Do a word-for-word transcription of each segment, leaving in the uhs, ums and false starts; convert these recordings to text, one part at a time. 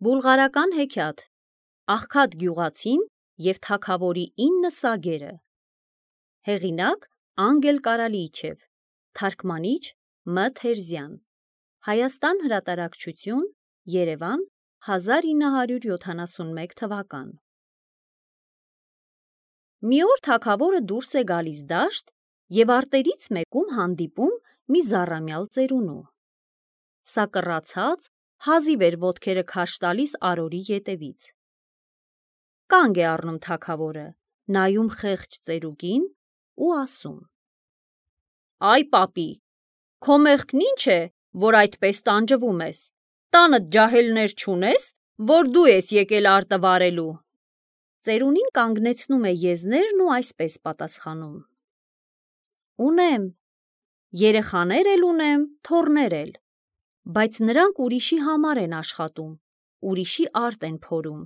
Բուլղարական հեքիաթ Աղքատ գյուղացին և թագավորի ինը սագերը Հեղինակ Անգել Կարալիիչև Թարգմանիչ Մ. Թերզյան Հայաստան հրատարակչություն Երևան հազար ինը հարյուր յոթանասունմեկ թվական Մի օր թագավորը դուրս է գալիս դաշտ և արտերից մեկում հանդիպում մի զառամյալ ծերունու։ Սա կռացած, հազիվ էր ոտքերը քաշ տալիս արորի ետևից։ Կանգ է առնում թագավորը, նայում խեղճ ծերուկին ու ասում. Այ պապի, քո մեղքն ինչ է, որ այդպես տանջվում ես, տանդ ջահելներ չունես, որ դու ես եկել արտը վարելու։ Ծերունին կանգնեցնում է եզներն ու այսպես պատասխանում. Ունեմ, երեխաներ էլ ունեմ, թոռներ էլ, բայց նրանք ուրիշի համար են աշխատում, ուրիշի արտ են փորում։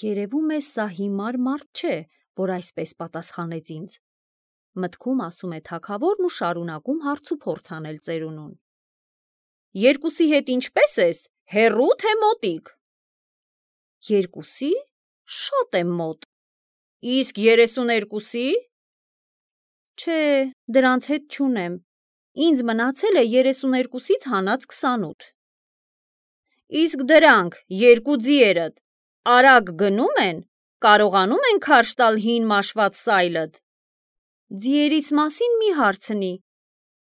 Երևում է սա հիմար մարդ չէ, որ այսպես պատասխանեց ինձ, մտքում ասում է թագավորն ու շարունակում հարց ու փորձ անել ծերունուն։ Երկուսի հետ ինչպե՞ս ես, հեռու թե մոտիկ։ Երկուսի, շատ եմ մոտ։ Իսկ երեսուներկուսի։ Չէ, դրանց հետ չունեմ, ինձ մնացել է երեսուներկուսից հանած քսանութ։ Իսկ դրանք երկու ձիերդ արագ գնում են, կարողանում են քարշ տալ հին մաշված սայլդ։ Ձիերիս մասին մի հարցնի,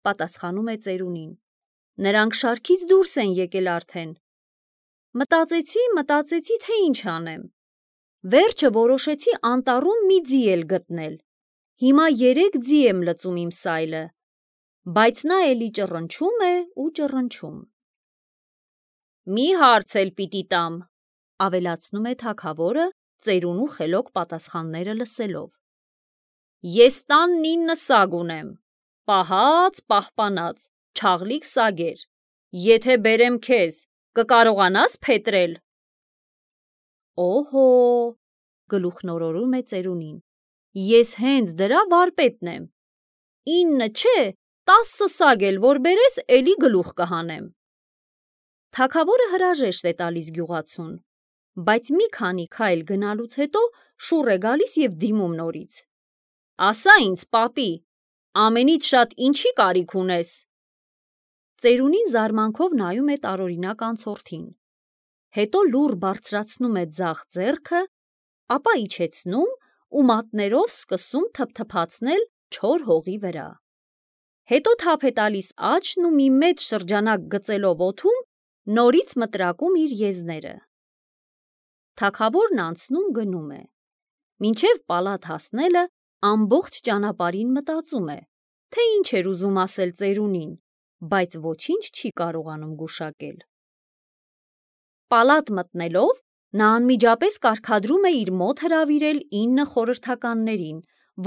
պատասխանում է ծերունին, նրանք շարքից դուրս են եկել արդեն։ Մտածեցի, մտածեցի, թե ինչ անեմ։ Վերջը որոշեցի անտառում մի ձի էլ գտնել, հիմա երեք ձի եմ լծում իմ սայլը, բայց նա էլի ճռնչում է ու ճռնչում։ Մի հարց էլ պիտի տամ, ավելացնում է թագավորը, ծերունու խելոք պատասխանները լսելով։ Ես տանն ինը սագ ունեմ, պահած, պահպանած, չաղլիկ սագեր, եթե բերեմ քեզ, կկարողանաս փետրել։ Օհո, գլուխնորորում է ծերունին, ես հենց դրա վարպետն եմ, ինը չէ, տասը սագ էլ որ բերես, էլի գլուխ կհանեմ։ Թագավորը հրաժեշտ է տալիս գյուղացուն, բայց մի քանի քայլ գնալուց հետո շուռ է գալիս և դիմում նորից։ Ասա ինձ, պապի, ամենից շատ ինչի կարիք ունես։ Ծերունին զարմանքով նայում է տարօրինակ անցորդին, հետո լուռ բարձրացնում է ձախ ձեռքը, ապա իջեցնում ու մատներով սկսում թփթփացնել չոր հողի վրա։ Հետո թափ է տալիս աչքն ու մի մեծ շրջանակ գծելով օդում, նորից մտրակում իր եզները։ Թագավորն անցնում գնում է, մինչև պալատ հասնելը ամբողջ ճանապարհին մտածում է, թե ինչ էր ուզում ասել ծերունին, բայց ոչինչ չի կարողանում գուշակել։ Պալատ մտնելով, նա անմիջապես կարգադրում է իր մոտ հրավիրել ինը խորհրդականներին,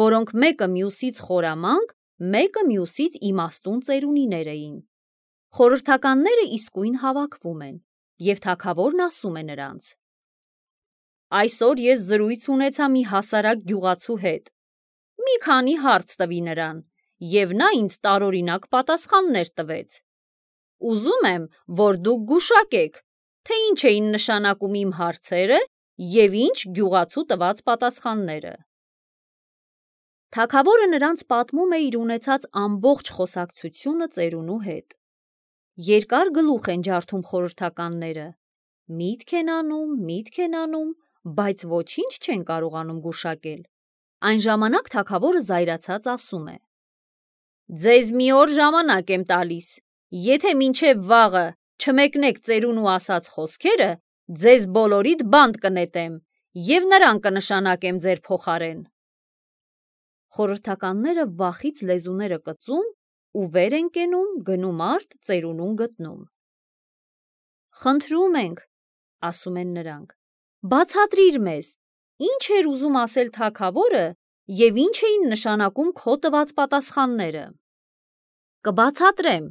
որոնք մեկը մյուսից խորամանկ, մեկը մյուսից իմաստուն ծերունիներ էին։ Խորհրդականները իսկույն հավաքվում են, և թագավորն ասում է նրանց. Այսօր ես զրույց ունեցա մի հասարակ գյուղացու հետ, մի քանի հարց տվի նրան, և նա ինձ տարօրինակ պատասխաններ տվեց։ Ուզում եմ, որ դուք գուշակեք, թե ինչ էին նշանակում իմ հարցերը և ինչ գյուղացու տված պատասխանները։ Թագավորը նրանց պատմում է իր ունեցած ամբողջ խոսակցությունը ծերունու հետ։ Երկար գլուխ են ջարդում խորհրդականները, միտք են անում, միտք են անում, բայց ոչինչ չեն կարողանում գուշակել։ Այն ժամանակ թագավորը զայրացած ասում է. Ձեզ մի օր ժամանակ եմ տալիս, եթե մինչև վաղը չմեկնեք ծերունու ասած խոսքերը, ձեզ բոլորիդ բանտ կնետեմ և նրան կնշանակեմ ձեր փոխարեն։ Խորհրդականները վախից լեզուները կծում ու վեր են կենում, գնում արտ, ծերունուն գտնում։ Խնդրում ենք, ասում են նրանք, բացատրիր մեզ, ինչ էր ուզում ասել թագավորը և ինչ էին նշանակում քո տված պատասխանները։ Կբացատրեմ,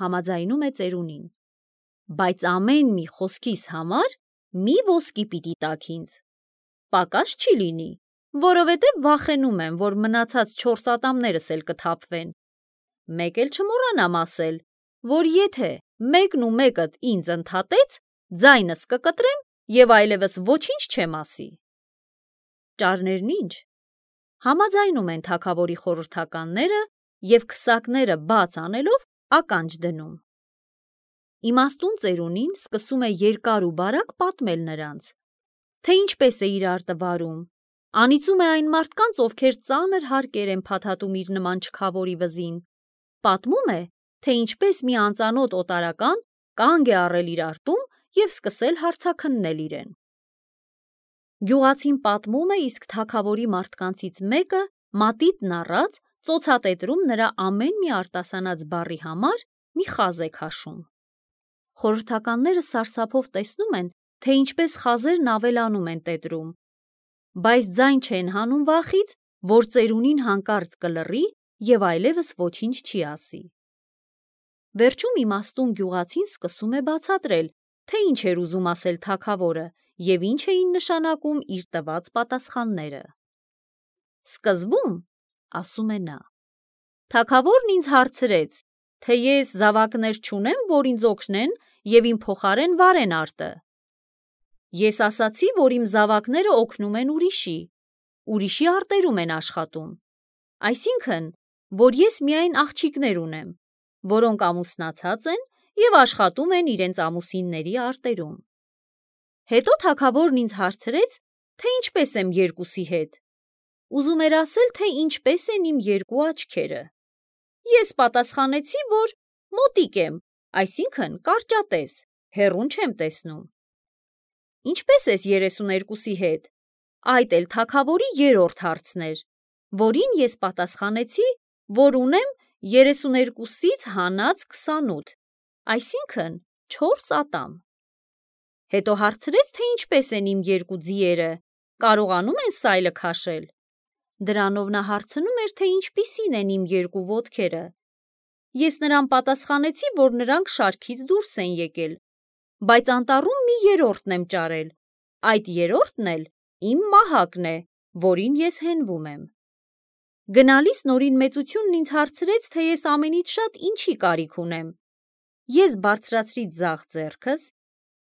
համաձայնում է ծերունին, բայց ամեն մի խոսքիս համար մի ոսկի պիտի տաք ինձ, պակաս չի լինի, որովհետև վախենում եմ, որ մնացած չորս ատամներս էլ կթափվեն։ Մեկ էլ չմոռանամ ասել, որ եթե մեկն ու մեկդ ինձ ընդհատեց, ձայնս կկտրեմ և այլևս ոչինչ չեմ ասի։ Ճարներն ինչ, համաձայնում են թագավորի խորհրդականները և քսակները բաց անելով ականջ դնում։ Իմաստուն ծերունին սկսում է երկար ու բարակ պատմել նրանց, թե ինչպես է իրար տվարում, անիծում է այն մարդկանց, ովքեր ծանր հարկեր են փաթաթում իր նման չքավորի վզին, պատմում է, թե ինչպես մի անծանոթ օտարական կանգ է առել իր արտում և սկսել հարցաքննել իրեն։ Գյուղացին պատմում է, իսկ թագավորի մարդկանցից մեկը մատիտն առած ծոցատետրում նրա ամեն մի արտասանած բառի համար մի խազ է քաշում։ Խորհրդականները սարսափով տեսնում են, թե ինչպես խազերն ավելանում են տետրում, բայց ձայն չեն հանում վախից, որ ծերունին հանկարծ կլռի և այլևս ոչինչ չի ասի։ Վերջում իմաստուն գյուղացին սկսում է բացատրել, թե ինչ էր ուզում ասել թագավորը և ինչ էին նշանակում իր տված պատասխանները։ Սկզբում, ասում է նա, թագավորն ինձ հարցրեց, թե ես զավակներ չունեմ, որ ինձ օգնեն և իմ փոխարեն վարեն արտը։ Ես ասացի, որ իմ զավակները օգնում են ուրիշի, ուրիշի արտերում են աշխատում, այսինքն, որ ես միայն աղջիկներ ունեմ, որոնք ամուսնացած են և աշխատում են իրենց ամուսինների արտերում։ Հետո թագավորն ինձ հարցրեց, թե ինչպես եմ երկուսի հետ։ Ուզում էր ասել, թե ինչպես են իմ երկու աչքերը։ Ես պատասխանեցի, որ մոտիկ եմ, այսինքն կարճատես, հեռուն չեմ տեսնում։ Ինչպես ես երեսուներկուսի հետ, այդ էլ թագավորի երրորդ հարցն էր, որին ես պատասխանեցի, որ ունեմ երեսուներկուսից հանած քսանութ, այսինքն չորս ատամ։ Հետո հարցրեց, թե ինչպես են իմ երկու ձիերը, կարողանում են սայլը քաշել։ Դրանով նա հարցնում էր, թե ինչպիսին են իմ երկու ոտքերը։ Ես նրան պատասխանեցի, որ նրանք շարքից դուրս են եկել, բայց անտառում մի երրորդն եմ ճարել, այդ երրորդն էլ իմ մահակն է, որին ես հենվում եմ։ Գնալիս նորին մեծությունն ինձ հարցրեց, թե ես ամենից շատ ինչի կարիք ունեմ։ Ես բարձրացրի ձախ ձեռքս,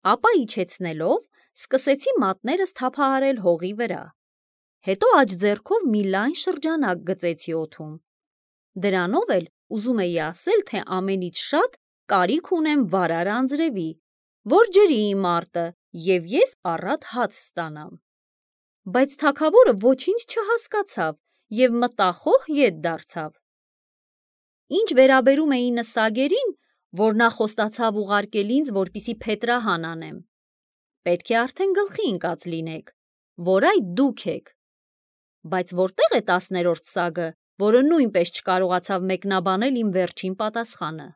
ապա իջեցնելով սկսեցի մատներս թափահարել հողի վրա, հետո աջ ձեռքով մի լայն շրջանակ գծեցի օդում։ Դրանով էլ ուզում էի ասել, թե ամենից շատ կարիք ունեմ վարար անձրևի, որ ջրի իմ արտը և ես առատ հաց ստանամ։ Բայց թագավորը ոչինչ չհասկացավ և մտախոհ ետ դարձավ։ Ինչ վերաբերում է ինը սագերին, որ նա խոստացավ ուղարկել ինձ, որպեսզի փետրահան անեմ, պետք է արդեն գլխի ընկած լինեք, որ այդ դուք եք։ Բայց որտե՞ղ է տասներորդ սագը, որը նույնպես չկարողացավ մեկնաբանել իմ վերջին պատասխանը։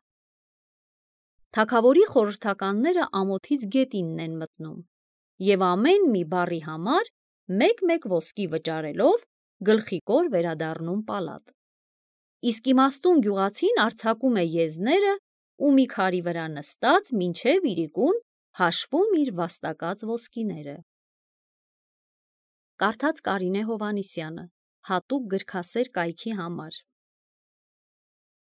Թագավորի խորհրդականները ամոթից գետինն են մտնում և ամեն մի բառի համար մեկ-մեկ ոսկի վճարելով գլխիկոր վերադառնում պալատ։ Իսկ իմաստուն գյուղացին արձակում է եզները ու մի քարի վրա նստած մինչև իրիկուն հաշվում իր վաստակած ոսկիները։ Կարդաց Կարինե Հովհաննիսյանը, հատուկ գրքասեր կայքի համար։